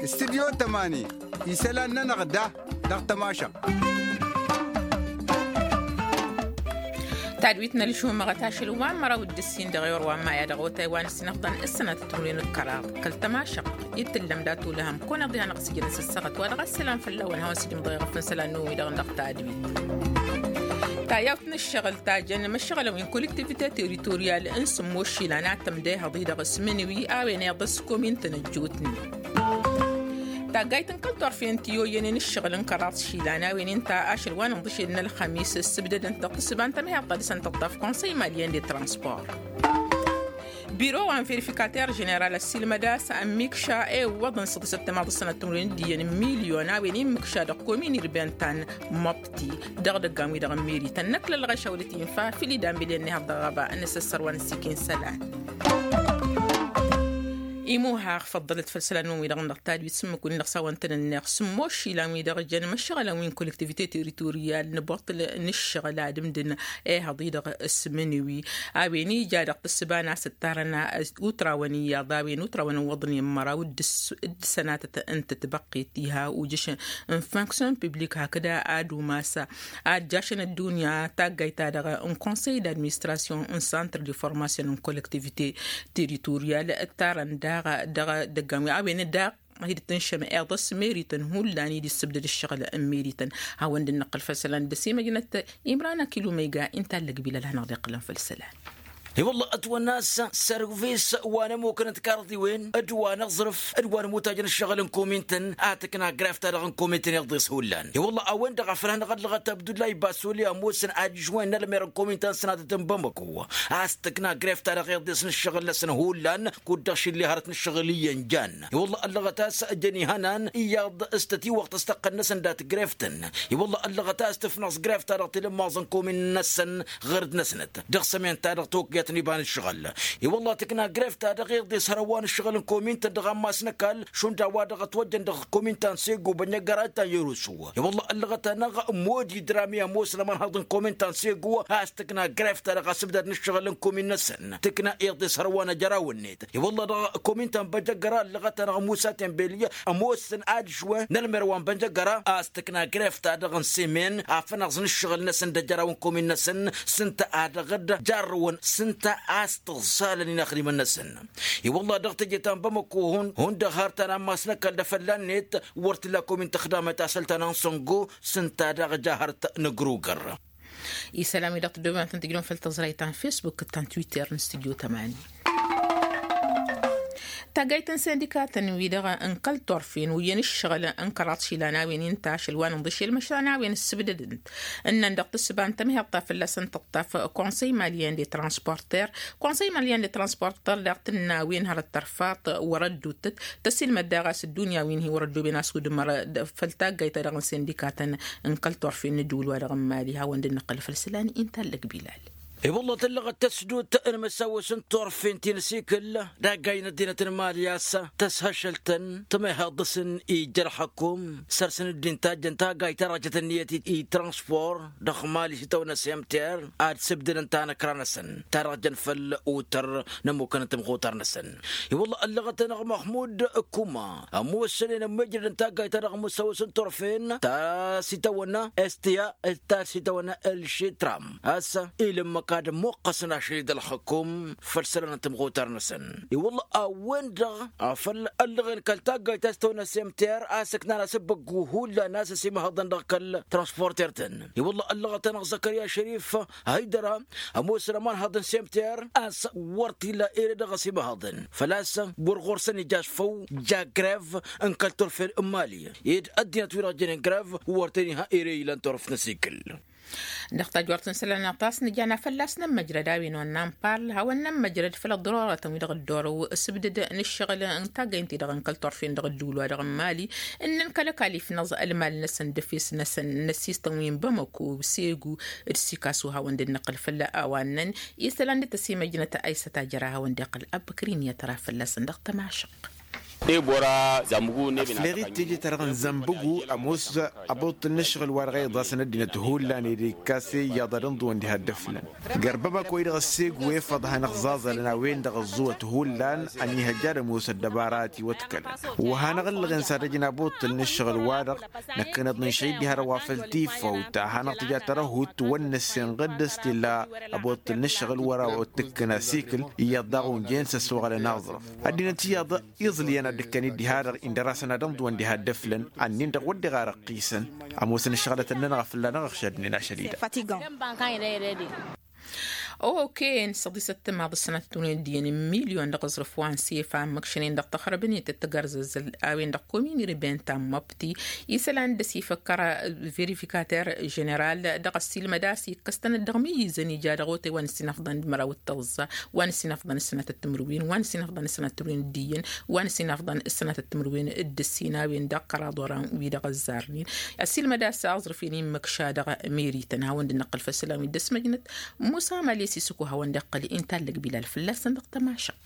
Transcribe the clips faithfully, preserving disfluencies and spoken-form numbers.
Studyo tămani, isălan-nănăɣ da dăɣ-tămašăɣt. Tadwit n-ălžumăɣăt ašăl wa n-măraw d-ǝssin dăɣ-iwăr wa n-maya dăɣ-otay wa n-ǝssin ăfḍăn ǝssănăt timǝrwen d-kăraḍ kăl-tămašăɣt. Itǝllăm dat-olăhăm kăwăn-iḍǝy hanăɣ-sǝjǝnăn s-ǝssăɣăt wa dăɣ-ăsselam fălla-wăn hawăn-s dd-imḍăyăɣ făn isălan n-owi-dăɣ dăɣ-tadwit. Tayawt n-ǝššăɣǝl tajăn imăššăɣǝlăn wi n-kolektivite teritoriyal n-sǝmmos išilan ad-tǝmdehăḍ-i-dăɣ s-imǝnǝwi a-wen iḍǝs komin tăn-ăjjootnen. Taggayt n-kăl-turfen ti oyyănen ǝššăɣǝl n-kăraḍ išilan a-wen inta ašăl wa n-inḍǝšed n-ălxămis ǝssǝbdădăn-t dăɣ-tǝssǝba n-tămheḍt ta dăɣ-săn tăṭṭaf konsăy malyen de transport. Biro wa n-verifikater ženeral ăssiilmăd a-s ămmikša i-iwwăḍăn s-ăḍǝsăt tămaḍ ăssănăt timǝrwen d-iyyăn n-milyon a-wen immǝkša dăɣ-komin irben ta n-măbti dăɣ-idăggan-wi-dăɣ n-meri tăn-năkk lălɣăš a wălăt infa făll-idan bilyen n-ehăḍ dăɣ-ɣaba n-asăssăr wa n-ăssiikin isălan. Imuhaɣ făḍḍălăt făll-isălan-năwăn-wi-dăɣ n-dăɣ tadwit s-ǝmmǝk-win-dăɣ s-a-wăn tăn-ănneɣ sǝmmos išilan-wi-dăɣ jăn imăššăɣǝlăn wi n-kolektivite teritoriyal n-abortăl n-ǝššăɣǝl ad-ǝmdǝn ehăḍ-i-dăɣ s-imǝnǝwi a-wen ija dăɣ-tǝssǝba n-asǝttarăn utrawăn iyyăḍ a-wen utrawăn ǝwwăḍnen măraw d-sănatăt n-tătbăqqet iha ujǝš n-fonksyon piblik hakd ad-umas ad-jašăn ăddunya taggayt-ta-dăɣ n-konsăy d-administrasyon n-santr de formasyon n-kolektivite teritoriyal ǝttarăn daɣ dăɣ-idăggan wi a-wen daɣ hi-dd-tǝnšăm iḍǝs merităn hullan i-dd-issǝbdăd ǝššăɣǝl n-merităn. Hawăn-dd-năqqǝl făll-isălan d-ăsimăjnăt imran akilumăyga inta ăllăg bilal ad-hanăɣ-dd-iqqǝlăn făll-isălan. I-wălla ătwănna a-s sărvis wa n-ămmukăn d-karḍiwen d-wa n-aẓrǝf d-wa n-ămmutajăn ǝššăɣǝl n-komin-tăn a tǝkna gref-ta-dăɣ n-komin-tăn iḍes hullan. I-wălla a-wen-dăɣ a făl hanăɣ-ăllăɣăt abdullahi basoli ămoosăn adžuwen n-ălmer n-komin-ta n-sănatăt n-bamăko a-s tǝkna gref-ta-dăɣ iḍes n-ǝššăɣǝl-năsăn hullan kud-dăɣ šilli hărăt n-ǝššăɣǝl iyyăn jan. I-wălla ăllăɣăt a-s jăn ihănan iyyăḍ s-tătiwăɣt s-tăqqăn-năsăn dat-gref-tăn. I-wălla ăllăɣăt a-s tǝfnăẓ gref-ta-dăɣ tilǝmmaẓ n-komin-năsăn ɣǝr-dd-năsnăt dăɣ-sămen-ta-dăɣ tokǝyăt n-iba n-ǝššăɣǝl. I-wălla tǝkna gref-ta-dăɣ iḍes hărăwwa n-ǝššăɣǝl n-komin-tăn dăɣ-ammas n-ăkall šund a-wa dăɣ-ătwăjjăn dăɣ-komin ta n-sego bănnăggăra ta n-yărusu. I-wălla ăllăɣăt-anăɣ modi drami ămoosăn ămărhăḍ n-komin ta n-sego a-s tǝkna gref-ta-dăɣ asǝbdad n-ǝššăɣǝl n-komin-năsăn tǝkna iḍes hărăwwa n-ajăraw-net. I-wălla dăɣ-komin ta n-bănjăggăra ăllăɣăt-anăɣ musa tembeli ămoosăn adžuwen n-ălmer wa n-bănjăggăra a-s tǝkna gref-ta-dăɣ n-semen afănăẓ n-ǝššăɣǝl-năsăn d-ajăraw n-komin-năsăn s-ǝnta a dăɣ-dd-jarrăwăn s-ǝnta a-s tǝẓẓalăn inaxdimăn-năsăn. I-wălla dăɣ-teje ta n-bamăko hundăɣ har ta n-ammas n-ăkall d-afălla-net wăr t-illa komin tăxdamăt asăl ta n-ansăngo s-ǝnta daɣ ja hărăt n-ăgrugăr. Isălan-wi-dăɣ tăddoobem ad-tăn-tǝjrǝwăm făll-tăẓrayt ta n-fesbuk d-ta n-twitter n-studyo tămani. Taggayt n-sindikatăn-wi-dăɣ n-kăl-turfen wi iyyăn ǝššăɣǝl n-kăraḍ išilan a-wen inta ašăl wa n-inḍǝšel măšan a-wen ǝssǝbdădăn-t ǝnnăn dăɣ-tǝssǝba n-tămheḍt ta fălla-săn tăṭṭaf konsăy malyen de transporter. Konsăy malyen de transporter daɣ tǝnna a-wen hărăt tărfaḍ wăr-ădduttăt tăsilmăd daɣ a-s ăddunya wi n-hi-wăr-ăddooben a-s udǝmăr făll-taggayt-ta-dăɣ n-sindikatăn n-kăl-turfen n-ǝddǝwǝl-wa-dăɣ n-mali hawăn-dd-năqqǝl făll-isălan inta ăllăg bilal. I-wălla tǝllăɣăt tăsdut n-imǝssawăs n-turfen ti n-asikǝl d-aggay n-ăddinăt n-mali a-s tăshăššăl-tăn tămehăḍ dăɣ-săn ija ălxăkum săr-săn dd-intajjăn taggayt ta dăɣ-jăt ǝnniyăt i-transpor dăɣ-mali s-itawănna s-emter ad-sǝbdǝdăn tanăkra-năsăn ta dăɣ-jăn făll-utăr n-ămmukăn n-timxutar-năsăn. I-wălla ăllăɣăt-anăɣ măxmud kuma ămoosănen ămmijrădăn taggayt ta dăɣ-imǝssawăs n-turfen ta s-itawănna estiya ta s-itawănna ălšitram a-s ilǝmmăk ad-ămmuqqăsăn ašăl-i d-ălxăkum făll-isălan n-timxutar-năsăn. I-wălla a-wen-dăɣ afăl ăllăɣen kăl-taggayt ta s-itawănna s-emter a-s ǝknan asǝbbăggu hullan a-s ăsimăhăḍăn dăɣ-kăl-transporter-tăn. I-wălla ăllăɣăt-anăɣ zăkăriya šărif haydăra ămoosăn ămanhăḍ n-semter a-s wăr t-illa ere dăɣ-ăsimăhăḍăn făl-a-s wăr ɣur-săn ija asfăw ja grev n-kăl-turfen n-mali ed ăddinăt-wi-dăɣ jănen grev wăr t-iniha ere ilan turf n-asikǝl. Dăɣ-tajwărt n-isălan-năɣ ta s-nǝja n-afăl a-s nămmăjrăd a-wen wănna n-pal hawăn-nămmăjrăd făll-ăḍrorătăn wi-dăɣ dd-orăw s-ǝbdǝd n-ǝššăɣǝl n-taggăynt-i-dăɣ n-kăl-turfen dăɣ-ădduul-wa-dăɣ n-mali ǝnnăn kăl-ăkall ifnăẓ ălmal-năsăn d-efes-năsăn n-ăssistăn wi n-bamăko segu d-sikasu hawăn-dd-năqqǝl făll-a-wa ǝnnăn isălan d-tăsimăjnăt aysăt ajăra hawăn-dd-iqqǝl abăkri n-iyyăt ra fălla-săn dăɣ-tămašăq. Ăfleɣ-dd teje-ta-dăɣ n-zănbăgu ămoos abuṭṭǝl n-ǝššăɣǝl-wa-dăɣ a iḍasăn ăddinăt hullan ed ikkas iyyăḍ ad-ǝnḍǝwăn diha dd-ăflăn. Gărbăbăk wa-i-dăɣ ăssegu efăḍ hanăɣ-ẓaẓălăn a-wen-dăɣ ăẓẓuwăt hullan ănnihăjja ad-ămoos ăddăbara a ătiwăḍkălăn. Wa hanăɣ-ǝllăɣen s-ad-ăjǝn abuṭṭǝl n-ǝššăɣǝl-wa-dăɣ năkkăneḍ n-išăy dd-ihărăw afăl tifăwt a hanăɣ-tǝja tărăhut wăr năssinɣǝd s-t-illa abuṭṭǝl n-ǝššăɣǝl wăr-awăt tǝkkǝn asikǝl iyyăḍ daɣ unjăyăn s-ăssuɣălăn aẓrǝf. Ăddinăt iyyăḍ iẓlǝyăn ad-dd-ǝkkăn-dd diha-dăɣ indăr-asăn ad-ǝnḍǝwăn diha dd-ăflăn ănnin-dăɣ wăr deɣ ar ăqqisăn. Ămoosăn ǝššăɣǝlăt ănnănăɣ a fălla-năɣ ăɣšadnen ašăl-i-dăɣ. Okey n-săḍisăt timaḍ ǝssănăt timǝrwen d-iyyăn n-milyon dăɣ-aẓrǝf wa n-sefa ǝmmǝkšănen dăɣ-taxrăbnit d-tagărzăzăl a-wen-dăɣ komini ribenta n-măbti isălan d-ăsifăkkăra verifikater ženeral dăɣ-ăssiilmăd a-s ikkăs-tănăt dăɣ-imǝyyǝzăn ija dăɣ-otay wa n-ăssinăfḍăn d-măraw d-tăẓẓa wa n-ăssinăfḍăn ǝssănăt timǝrwen wa n-ăssinăfḍăn ǝssănăt timǝrwen d-iyyăn wa n-ăssinăfḍăn ǝssănăt timǝrwen d-ǝssin a-wen-dăɣ kăraḍ oran wi-dăɣ ăzzarnen. Ăssiilmăd a-s aẓrǝf-in immǝkša dăɣ-merităn hawăn-dd-năqqǝl făll-isălan wi dd-ăsmăjnăt musa mali s-isǝkku hawăn-dd-iqqăl inta ăllăg bilal fălla-săn dăɣ-tămašăq.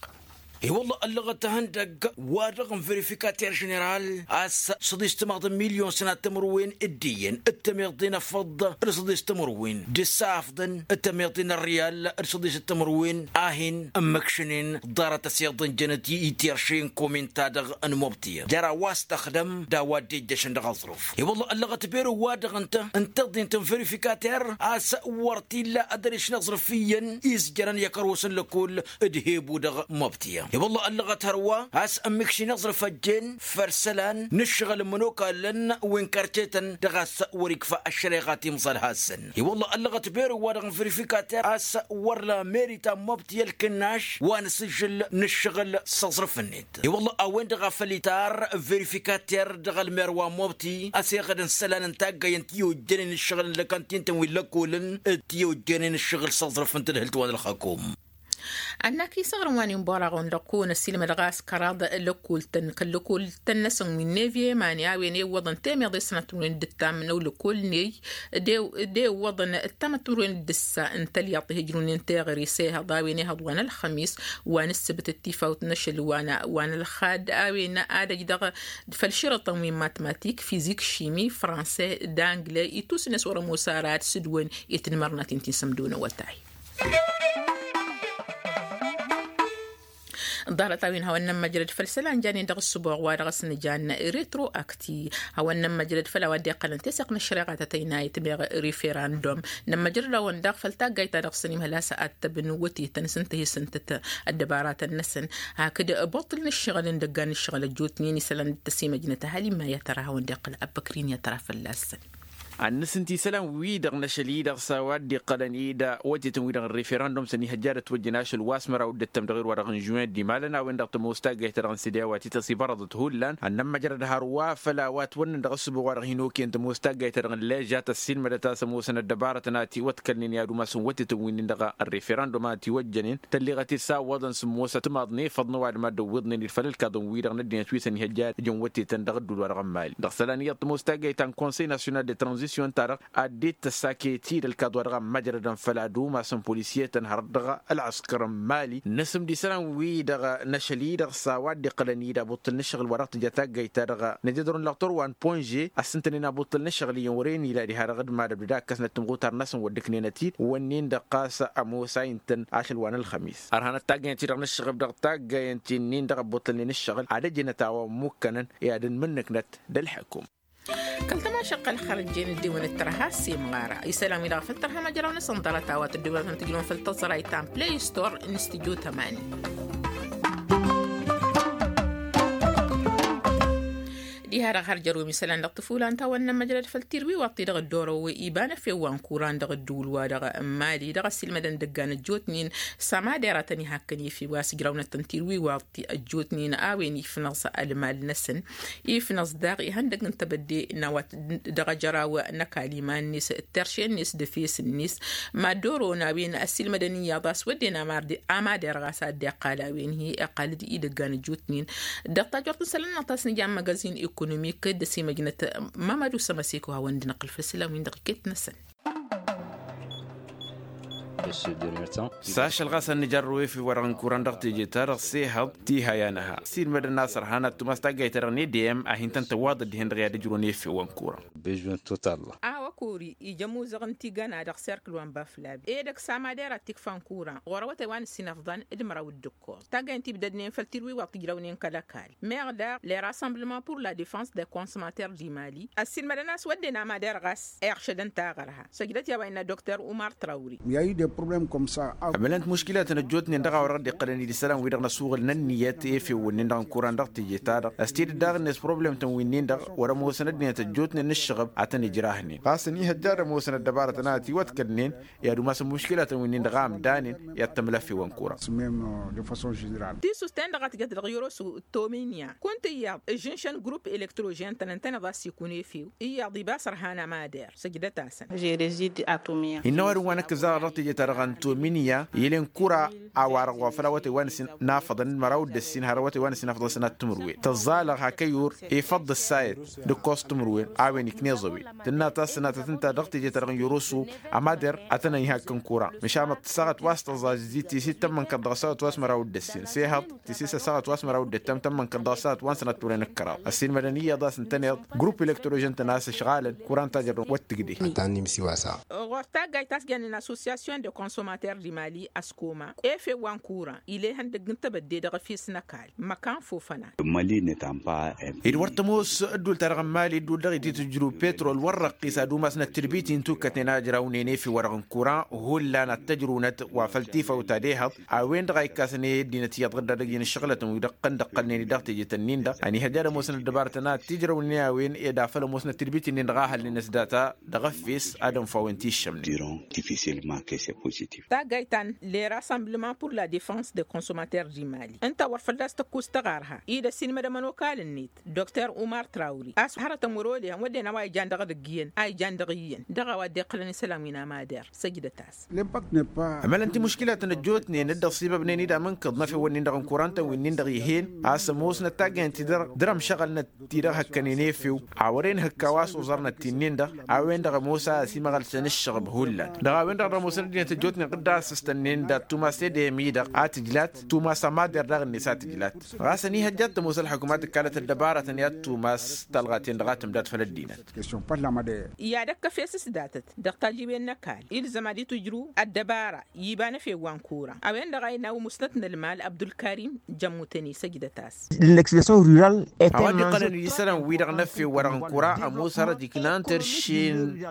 I-wălla ăllăɣăt ihăndăgg wa-dăɣ n-verifikater ženeral a-s săḍis timaḍ n-milyon sănat timǝrwen d-iyyăn d-tămiḍe n-afăḍ d-săḍis timǝrwen d-ǝssafḍăn d-tămiḍe n-ărriyal d-săḍis timǝrwen a hin-ǝmmǝkšǝnen ḍarăt ăsiḍǝnjănăt i-tirše n-kominta-dăɣ n-mobtiya jer-a-wa s-tăxdăm d-a-wa dd-ejjăšăn dăɣ-aẓrǝf. I-wălla ăllăɣăt bero-wa-dăɣ ǝnta ǝnta ăḍḍint n-verifikater a-s wăr t-illa ad-ăriš n-aẓrǝf iyyăn izjărăn i-akăros n-lăkull d-hebu dăɣ-mobtiya. I-wălla ăllăɣăt hărwa a-s ǝmmǝkšin aẓrǝf ăjjeen făll-isălan n-ǝššăɣǝl n-imănokalăn wi n-kărcetăn dăɣ-a-s wăr-ikfa ăššăreɣa timẓăl-hasăn. I-wălla ăllăɣăt bero-wa-dăɣ n-verifikater a-s wăr la meri ta n-mobtiya ălkǝnnaš wa n-asǝžžǝl n-ǝššăɣǝl s-aẓrǝf-net. I-wălla a-wen-dăɣ a făl itar verifikater dăɣ-ălmer wa n-mobti ăseɣăd n-isălan n-taggay n-ti ojjănen ǝššăɣǝl n-lăkăntintăn wi n-lăkkolăn d-ti ojjănen ǝššăɣǝl s-aẓrǝf n-tadhǝlt wa n-ălxakum. Ănnak isăɣrǝm wa n-inbăraɣ-wăn dăɣ-kăwăn-ăssiilmăd ɣas kăraḍ lăkkoltăn kăl-lăkkoltăn-năsăn wi n-nevie mani a-wen iwwăḍăn temeḍe s-sănăt n-wen dd-tammǝnăw lăkkol-ney d-iwwăḍăn ăttamăt n-wen dd-ǝssa n-tălyaḍt ihǝjrǝwnen teɣăre s-ehăḍ a-wen ehăḍ wa n-ălxămis wa n-ǝssǝbǝt d-tifawt n-ašăl wa n-ălxad a-wen ad-ăj dăɣ-făll-išrătăn wi n-matmatik fizik šimi franse d-angle itus-net wăr-ămoos ara ad-sǝdwăn i-tinmărnatin ti n-sămdo n-awătay. Ḍarăt-a-wen hawăn-nămmăjrăd făll-isălan janen dăɣ-ǝssǝboɣ wa dăɣ-s nǝjan retroakti hawăn-nămmăjrăd făll-a-wa dd-iqqălăn teseɣt n-ăššăreɣa ta tăynayăt meɣ referandum. Nămmăjrăd-awăn daɣ făll-taggayt ta dăɣ-săn imhăl a-s attăb n-wătetăn s-ǝnta hi-sǝntăt ăddăbaratăn-năsăn hakd boṭṭǝl n-ǝššăɣǝl n-idăggan ǝššăɣǝl ăjjootnen isălan d-tăsimăjnăt ăhalima i-ad-tăra hawăn-dd-iqqăl abbăkrin i-ad-tăra fălla-săn. Ad-nǝsǝnti isălan-wi-dăɣ n-ašăl-i-dăɣ s-a-wa dd-iqqălăn-dd wătetăn-wi-dăɣ n-referandum s-ănihăjja ad-ătwăjjăn ašăl wa s-măraw d-ǝttăm dăɣ-irwa-dăɣ n-žuwen d-imalăn a-wen-dăɣ tămoos taggayt-ta-dăɣ n-sede a-wa t-ităs ibărăḍăt hullan ad-nămmăjrăd hărwa făll-a-wa ătwănnăn dăɣ-ǝssǝbo wa-dăɣ hin-okăyăn tămoos taggayt-ta-dăɣ n-leža tăssiilmădăt a-s ămoosăn ăddăbarătăn a ătiwăḍkălnen i-ad-umasăn wătetăn wi-nin-dăɣ ărreferandum a ătiwăjjănen tălleɣăt-dd s-a ǝwwăḍăn s-ǝmmos ătmaḍnen făḍnăw ad-mad-ăwwiḍnen d-făll-ǝlkaḍăn-wi-dăɣ n-ăddinăt wi s-ănihăjja ad-ǝjăn wătetăn dăɣ-ădduul-wa-dăɣ n-mali. Dăɣ-isălan iyyăḍ tămoos taggayt ta n-konsăy nasyonal de tranzisyon-ta-dăɣ ad-dd-tăssakăyăt-dd ălkaḍ-wa-dăɣ ămmăjrădăn făll-ad-umasăn polisiyetăn hărăt dăɣ-ălɣăskăr n-mali. Nǝsǝm d-isălan-wi-dăɣ n-ašăl-i-dăɣ s-a-wa dd-iqqălăn-dd abuṭṭǝl n-ǝššăɣǝl wa dăɣ-tǝja taggayt-ta-dăɣ nǝjădrăwăn lăɣtăr wa n-ponže ăssintănen abuṭṭǝl n-ǝššăɣǝl iyyăn wăren ila diha-dăɣ d-mad-ăbdăd a ǝkkăsnăt timɣutar-năsăn wăr dd-ǝknenăt-dd wănnen-dăɣ ɣas ămoos a intăn ašăl wa n-ălxămis. Ărhanăt taggayăn-ti-dăɣ n-ǝššăɣǝb dăɣ-taggayăn ti-nin-dăɣ ăbbuṭṭălnen ǝššăɣǝl ad-ăjǝnăt a-wa ămmukkănăn i-ad-ănmǝnnǝknăt d-ălḥăkum. Kăl-tămašăqqăl xărăjjen dd-ewănăt tărha s-imɣara isălan-wi-dăɣ făl tărha măjraw-năsăn ḍarăt a-wa tădduwănăt n-tǝjrǝwăn făll-tăẓrayt ta n-play store n-studio tămani. Diha-dăɣ har jărwem isălan dăɣ-tǝfulan ta wănnăn măjrăd făll-tirwiwaḍt-i dăɣ-dd-orăw iba n-efew wa n-kuran dăɣ-ădduul-wa-dăɣ n-mali dăɣ-ăssiilmădăn dăggan ăjjootnen s-amad eratăn ihakkăn efew a-s ǝjrawnăt n-tirwiwaḍt-i ăjjootnen a-wen ifnăẓ ălmal-năsăn. Ifnăẓ daɣ ihăndăgg n-tebădde n-a-wa dăɣ-ajăraw n-ăkall iman-net d-terše-net d-efes-net. Mad-oro n-a-wen ăssiilmădăn iyyăḍ a-s wădden amad-erɣ a-s ad-dd-iqqal a-wen-hi iqqal-dd idăggan ăjjootnen. Dăɣ-tajort n-isălan-năɣ ta s-nǝja n-măgăzin ekonomik d-ăsimăjnăt mămădu sămăseko hawăn-dd-năqqǝl făll-isălan-win-dăɣ iket-năsăn. S-ašăl ɣas ad-nǝjărrăw efew-wa-dăɣ n-kuran dăɣ-teje-ta-dăɣ s-ehăḍ tiha i-anăha s-ilmădăn a-s ărhan ad-tumas taggayt-ta-dăɣ n-edeyăm a hin-tăn-tăwwaḍăd dihen-dăɣ i-ad-ǝjrǝwăn efew-wa n-kuran. Bežwen total. A-wa kori ija amuzăɣ n-tigana dăɣ-serkǝl wa n-baflab edăgg s-amader ad-t-ikfa n-kuran ɣur-awătay wa n-ǝssin ăfḍăn d-măraw d-ǝkkoẓ taggayt n-tibdădnen făll-tirwiwaḍ tǝjrăwnen kăl-ăkall meɣ daɣ les rassemblements pour la defense des consommateurs du mali ăssiilmădăn a-s wădden amader ɣas iɣšădăn taɣărha săjdăt i-a-wa innă doktor umar trawri. Ămălăn-t muškilatăn ăjjootnen dăɣ-a-wa dăɣ-dd-iqqălăn-dd isălan-wi-dăɣ n-ăsuɣǝl n-ǝnniyăt efew-wǝnnin-dăɣ n-kuran dăɣ-teje-ta-dăɣ ăstedăt daɣ-net problămtăn wi-nin-dăɣ wăr-ămoosăn ăddinăt ăjjootnen n-ǝššăɣǝb ad-tăn-ǝjrahnen ɣas ăniihăjja ad-ămoosăn ăddăbarătăn a ătiwăḍkădnen i-ad-umasăn muškilatăn wi-nin-dăɣ a ǝmdanen i-ad-tămlăf i-wăn kuran. Tisusten-dăɣ a tǝjăt dăɣ-yăros tominya kunta iyyăḍ ǝžžǝnšăn grup elektrožen tăn-ǝntăneḍ a-s ikun efew iyyăḍ iba s-ărhan amader săjdăt-asăn. Innă ăwadǝm wa năkk ǝzzaɣăr dăɣ-teje-ta-dăɣ n-tominya ilen kura a-wa-dăɣ wa făl awătay wa n-ǝssin n-afăḍăn d-măraw d-ăssin har awătay wa n-ǝssin afăḍăn sănat timǝrwen tǝẓẓalăɣ hak ăyyur ifăḍ d-ǝssayăt d-ǝkkoẓ timǝrwen a-wen ikneẓ ăwin tǝnna ta s-sănatăt ǝnta dăɣ-teje-ta-dăɣ n-yăroso amader ad-tăn-ănhak n-kura măšan ăṭṭăsaɣăt wa s-tăẓẓaẓ tisit tămmănkăḍ dăɣ-săɣăt wa s-măraw d-ăssin s-ehăḍ tisit s-săɣăt wa s-măraw d-ǝttam tămmănkăḍ dăɣ-săɣăt wa n-sănat turăn ǝkkăraḍ ăssiilmădăn iyyăḍ a-s ǝntăneḍ grup elektrožen-tăn a-s ăšɣalăn kura n-tajăr n-wăttǝgde. Ănta n-imsiwasa. Ɣur-taggayt ta s-jannen association de consommateur du mali ăskoma efew wa n-kura ila ihăndăgg n-tebădde dăɣ-efes n-ăkall măkan fofăna. Ed wăr tămoos ăddul-ta-dăɣ n-mali ăddul dăɣ-ititǝjrǝw petrol wăr răqqis ad-umasnăt tǝdbit-i n-tukkătnen a ǝjrawnen efew-wa-dăɣ n-kura hullan ad-t-ăjrǝwnăt wa făl tifawt ad-ehăḍ a-wen-dăɣ a ikkasăn i-ăddinăt iyyăḍ ɣǝdda dăgg-i n-ǝššăɣǝlătăn wi-dăɣ ǝqqăn d-ăqqălnen-i dăɣ-teje-tăn-in-dăɣ ăniihăjja ad-ămoosnăt ăddăbarătăn a ătijrăwnen a-wen ed afăl ămoosnăt tǝdbit-in-dăɣ a hălnen s-data dăɣ-efes ad-ănfawăn tiššămnen. Taggayt ta n-les rassemblements pour la defense des consommateurs du mali ǝnta wăr fălla-s tăkkus tăɣarha-i d-ăssiilmădăm ănokal-net doktor umar trawri a-s hărătăn wăr-olehăn wădden a-wa ijan dăɣ-edăgg iyyăn a ijan dăɣ-iyyăn dăɣ-a-wa dd-iqqălăn isălan wi n-amader. Săjdăt-as. Ămălăn timuškilatăn ăjjootnen dd-ăṣṣibăbnen-dd amǝnkǝḍ n-efewăn-in-dăɣ n-kurantăn wi-nin-dăɣ ih'-en a-s ămoosnăt taggăyăn-ti-dăɣ dăr-ămšăɣălnăt-ti-dăɣ hăkkănen efew a wăren hǝkk a-wa s-oẓărnăt ti-nin-dăɣ a-wen-dăɣ ămoos a ăsimăɣălsăn ǝššăɣǝb hullan dăɣ-a-wen-dăɣ dăr-ămoosăn ăddinăt ăjjootnen ɣǝdda a-s ǝstănnen dat-tumas edem-i-dăɣ a tǝjlat tumas amader daɣ-net a tǝjlat. Ɣas ăniihăjja ad-tămoos ălḥukuma tǝkkalăt ăddăbarătăn i-ad-tumas talɣa-ten-dăɣ a tǝmdat făll-ăddinăt. I-ad-ăkkăf i-asǝsdatăt dăɣ-tajiwen n-ăkall ilzăm ad-itǝjrǝw ăddăbara iba n-efew wa n-kura a-wen-dăɣ a inawǝm usnăt n-ălmal abdulkarim jămmutăn-i săjdăt-as. L-expression rural. A-wa dd-iqqălăn-dd isălan-wi-dăɣ n-efew-wa-dăɣ n-kura ămoos hărăt iknan terše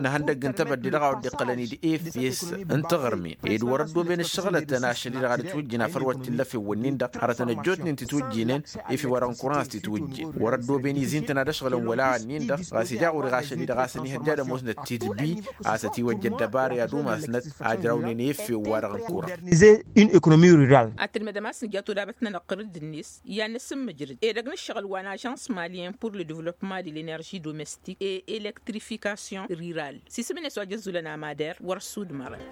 n-ihăndăgg n-tebădde dăɣ-a-wa dd-iqqălăn-dd efes n-taɣărmen ed wăr-ăddooben ǝššăɣǝlătăn ašăl-i-dăɣ ad-ǝtwǝjjǝn afăl wăr t-illa efewwăn-nin-dăɣ hărătăn ăjjootnen tǝtwǝjjǝnen efew-wa-dăɣ n-kuran a-s tǝtwǝjjǝn wăr-ăddooben izi ǝntăna d-ăšɣǝlăn wăla ǝnnin-dăɣ ɣas ija ɣur-i ɣašăl-i-dăɣ a-s ăniihăjja ad-ămoosnăt titbi a-s ătiwăjja ăddăbara i-ad-umasnăt a ǝjrawnen efew-wa-dăɣ n-kuran. Ad-tǝlmădăm a-s nǝja todabăt-nănăɣ qărǝd-net i-ad-nǝsǝmmǝjrǝd edăgg n-ǝššăɣǝl wa n-ažans malien pour le developpement de l-energie domestique et elektrifikasyon rural s-isǝm-net wa jăzzulăn amader wăr-ăssudmărăn.